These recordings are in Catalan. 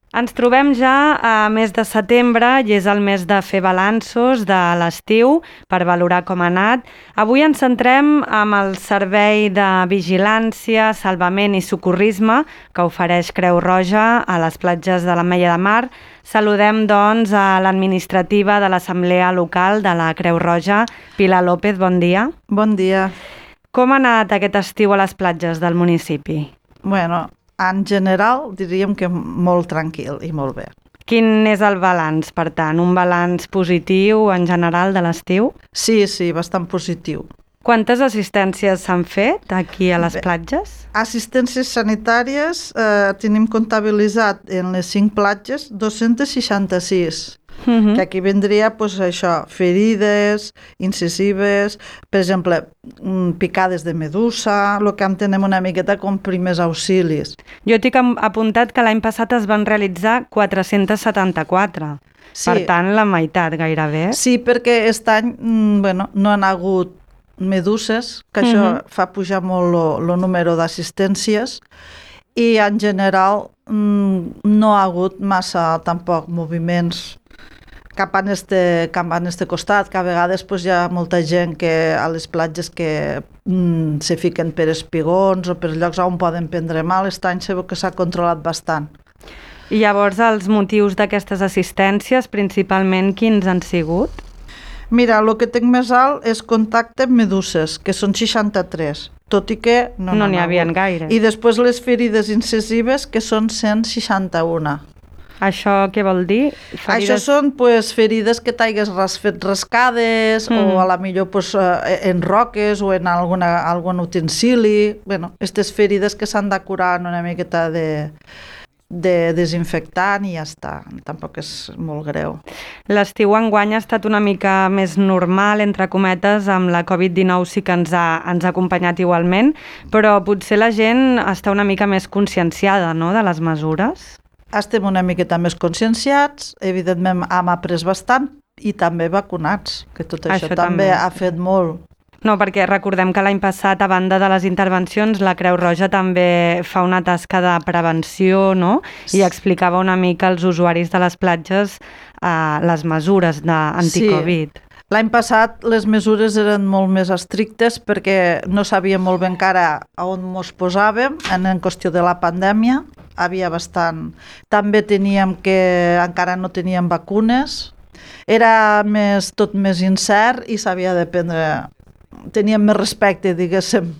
Ens trobem ja a mes de setembre i és el mes de fer balanços de l'estiu per valorar com ha anat. Avui ens centrem amb el servei de vigilància, salvament i socorrisme que ofereix Creu Roja a les platges de l'Ametlla de Mar. Saludem, doncs, a l'administrativa de l'Assemblea Local de la Creu Roja, Pilar López, bon dia. Bon dia. Com ha anat aquest estiu a les platges del municipi? Bueno, en general diríem que molt tranquil i molt bé. Quin és el balanç, per tant? Un balanç positiu en general de l'estiu? Sí, bastant positiu. Quantes assistències s'han fet aquí a les platges? Assistències sanitàries tenim comptabilitzat en les 5 platges 266. Que aquí vendria això, ferides, incisives, per exemple, picades de medusa, el que entenem una miqueta com primers auxilis. Jo tinc apuntat que l'any passat es van realitzar 474, per tant la meitat gairebé. Sí, perquè aquest any no han hagut meduses, que això fa pujar molt el número d'assistències, i en general no ha hagut massa tampoc moviments cap a este costat, que a vegades hi ha molta gent que a les platges que se fiquen per espigons o per llocs on poden prendre mal. Aquest any sé que s'ha controlat bastant. I llavors els motius d'aquestes assistències, principalment, quins han sigut? Mira, el que tinc més alt és contacte amb meduses, que són 63, tot i que no n'hi havia gaire. I després les ferides incisives, que són 161. Això què vol dir? Això són ferides que t'hagués fet rascades o a la millor en roques o en algun utensili. Aquestes ferides que s'han de curar en una miqueta de desinfectant i ja està. Tampoc és molt greu. L'estiu enguany ha estat una mica més normal, entre cometes, amb la Covid-19 sí que ens ha acompanyat igualment, però potser la gent està una mica més conscienciada, no?, de les mesures. Estem una miqueta més conscienciats, evidentment hem après bastant i també vacunats, que tot això també ha fet molt. No, perquè recordem que l'any passat, a banda de les intervencions, la Creu Roja també fa una tasca de prevenció, no? I explicava una mica als usuaris de les platges les mesures d'anticovid. Sí. L'any passat les mesures eren molt més estrictes perquè no sabíem molt bé encara on ens posàvem en qüestió de la pandèmia. Havia bastant. També encara no teníem vacunes. Era tot més incert i s'havia de prendre. Teníem més respecte, diguéssim.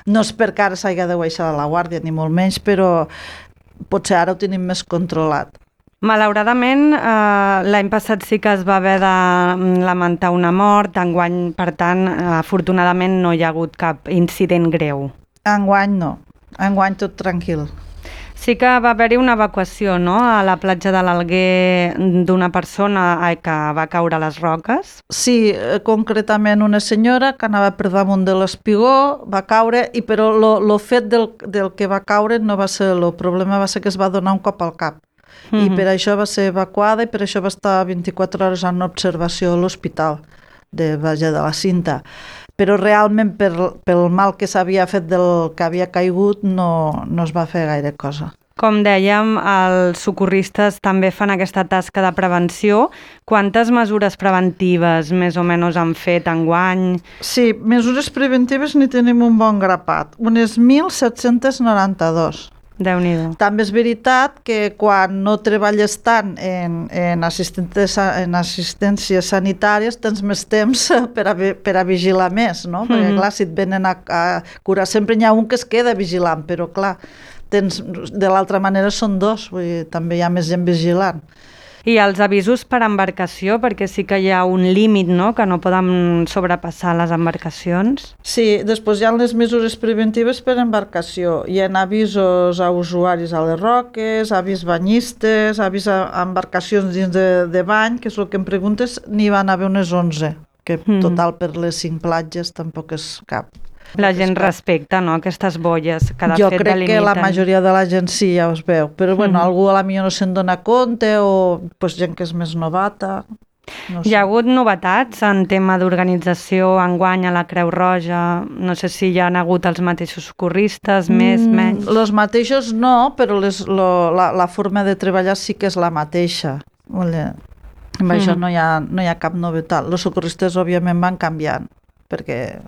No és perquè ara s'hagi de baixar la guàrdia, ni molt menys, però potser ara ho tenim més controlat. Malauradament, l'any passat sí que es va haver de lamentar una mort, enguany, per tant, afortunadament no hi ha hagut cap incident greu. Enguany no, enguany tot tranquil. Sí que va haver-hi una evacuació, no?, a la platja de l'Alguer d'una persona que va caure a les roques. Sí, concretament una senyora que anava per damunt de l'espigó, va caure, però el fet del que va caure no va ser el problema, va ser que es va donar un cop al cap. I per això va ser evacuada i per això va estar 24 hores en observació a l'hospital de la Cinta. Però realment pel mal que s'havia fet del que havia caigut no es va fer gaire cosa. Com dèiem, els socorristes també fan aquesta tasca de prevenció. Quantes mesures preventives més o menys han fet enguany? Sí, mesures preventives n'hi tenim un bon grapat, unes 1.792. Déu-n'hi-do. També és veritat que quan no treballes tant en assistències sanitàries tens més temps per a vigilar més, no? Perquè clar, si et venen a curar sempre hi ha un que es queda vigilant, però clar, de l'altra manera són dos, vull dir, també hi ha més gent vigilant. I els avisos per embarcació, perquè sí que hi ha un límit, no?, que no poden sobrepassar les embarcacions. Sí, després hi ha les mesures preventives per embarcació. Hi ha avisos a usuaris a les roques, avís banyistes, avís a embarcacions dins de bany, que és el que em preguntes, n'hi van haver unes 11, que total per les 5 platges tampoc és cap. La gent respecta, no?, aquestes bolles que de jo fet crec que la majoria de la gent sí, ja us veu, però bueno, algú a la millor no se'n dona compte o gent que és més novata. No Hi sé. ha hagut novetats en tema d'organització enguany a la Creu Roja? No sé si hi ha hagut els mateixos socorristes, més, menys... Els mateixos no, però la forma de treballar sí que és la mateixa. Amb això no hi ha cap novetat. Els socorristes, òbviament, van canviant, perquè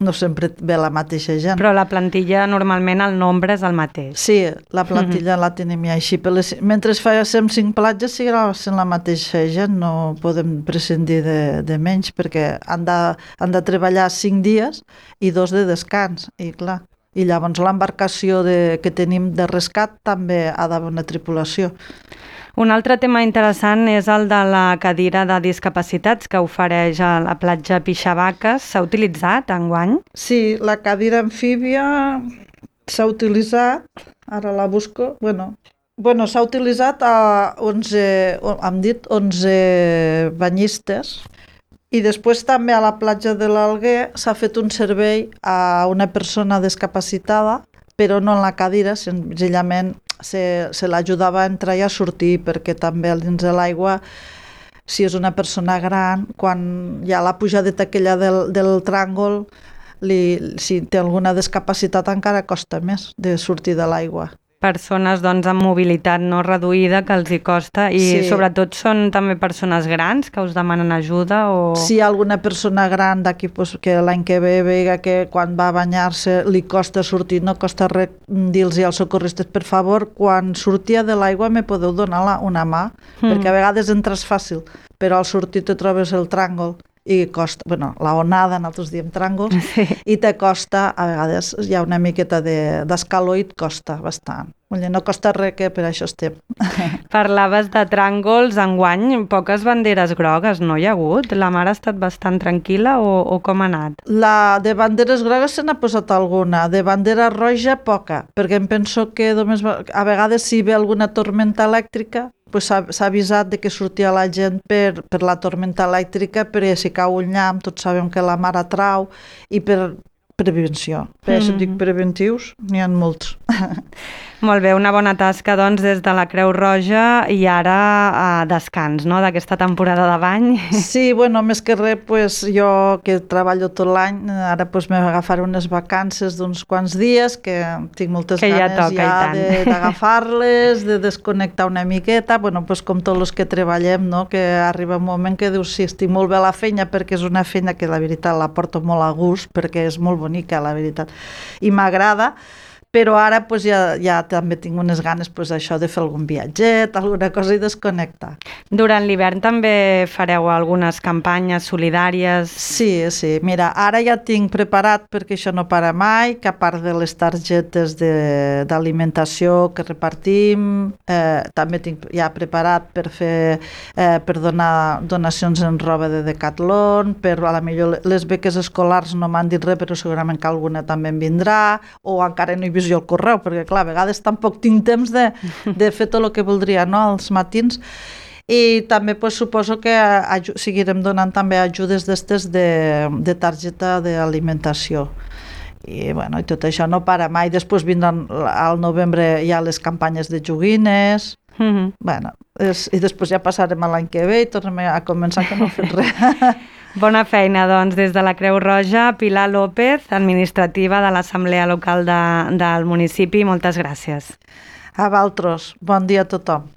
no sempre ve la mateixa gent. Però la plantilla, normalment, el nombre és el mateix. Sí, la plantilla la tenim ja així. Mentre fem 5 platges, seguirà sent la mateixa gent, no podem prescindir de menys, perquè han de treballar 5 dies i 2 de descans, i clar. I llavors l'embarcació que tenim de rescat també ha d'haver una tripulació. Un altre tema interessant és el de la cadira de discapacitats que ofereix a la platja Pixavaques. S'ha utilitzat enguany? Sí, la cadira amfíbia s'ha utilitzat, ara la busco, bueno, s'ha utilitzat a 11, hem dit 11 banyistes, i després també a la platja de l'Alguer s'ha fet un servei a una persona discapacitada, però no en la cadira, senzillament se l'ajudava a entrar i a sortir, perquè també dins de l'aigua, si és una persona gran, quan hi ha la pujadeta aquella del tràngol, si té alguna discapacitat encara costa més de sortir de l'aigua. Persones doncs amb mobilitat no reduïda que els hi costa i Sí. sobretot són també persones grans que us demanen ajuda o... Si hi ha alguna persona gran d'aquí que l'any que ve vega que quan va a banyar-se li costa sortir, no costa res dir-los als socorristes, per favor, quan sortia de l'aigua me podeu donar una mà, perquè a vegades entres fàcil, però al sortir te trobes el tràngol i costa, la onada, nosaltres diem tràngols, i te costa, a vegades hi ha una miqueta d'escaló i et costa bastant. No costa res, que per això estem. Parlaves de tràngols, enguany poques banderes grogues, no hi ha hagut? La mar ha estat bastant tranquil·la o com ha anat? De banderes grogues se n'ha posat alguna, de bandera roja poca, perquè em penso que només a vegades si ve alguna tormenta elèctrica s'ha avisat de que sortia la gent per la tormenta elèctrica, perquè si cau un llamp, tots sabem que la mar atrau, i per prevenció. Per això dic preventius, n'hi ha molts. Molt bé, una bona tasca doncs des de la Creu Roja i ara a descans, no?, d'aquesta temporada de bany. Sí, més que res, jo que treballo tot l'any, ara m'agafaré unes vacances d'uns quants dies, que tinc moltes ganes d'agafar-les, de desconnectar una miqueta, com tots els que treballem, no?, que arriba un moment que dius, sí, estic molt bé a la feina, perquè és una feina que la veritat la porto molt a gust, perquè és molt bonica, la veritat, i m'agrada, però ara ja també tinc unes ganes això de fer algun viatget, alguna cosa i desconnectar. Durant l'hivern també fareu algunes campanyes solidàries? Sí, mira, ara ja tinc preparat, perquè això no para mai, que a part de les targetes d'alimentació que repartim, també tinc ja preparat per donar donacions en roba de Decathlon, per a la millor les beques escolars no m'han dit res, però segurament que alguna també en vindrà, o encara no he vist jo el correu, perquè clar, a vegades tampoc tinc temps de fer tot el que voldria, no?, als matins. I també suposo que seguirem donant també ajudes d'estes de targeta d'alimentació. I tot això no para mai. Després vindran al novembre ja les campanyes de joguines, i després ja passarem a l'any que ve i tornem a començar que no fem res. Bona feina, doncs, des de la Creu Roja. Pilar López, administrativa de l'Assemblea Local del municipi. Moltes gràcies. A vosaltres. Bon dia a tothom.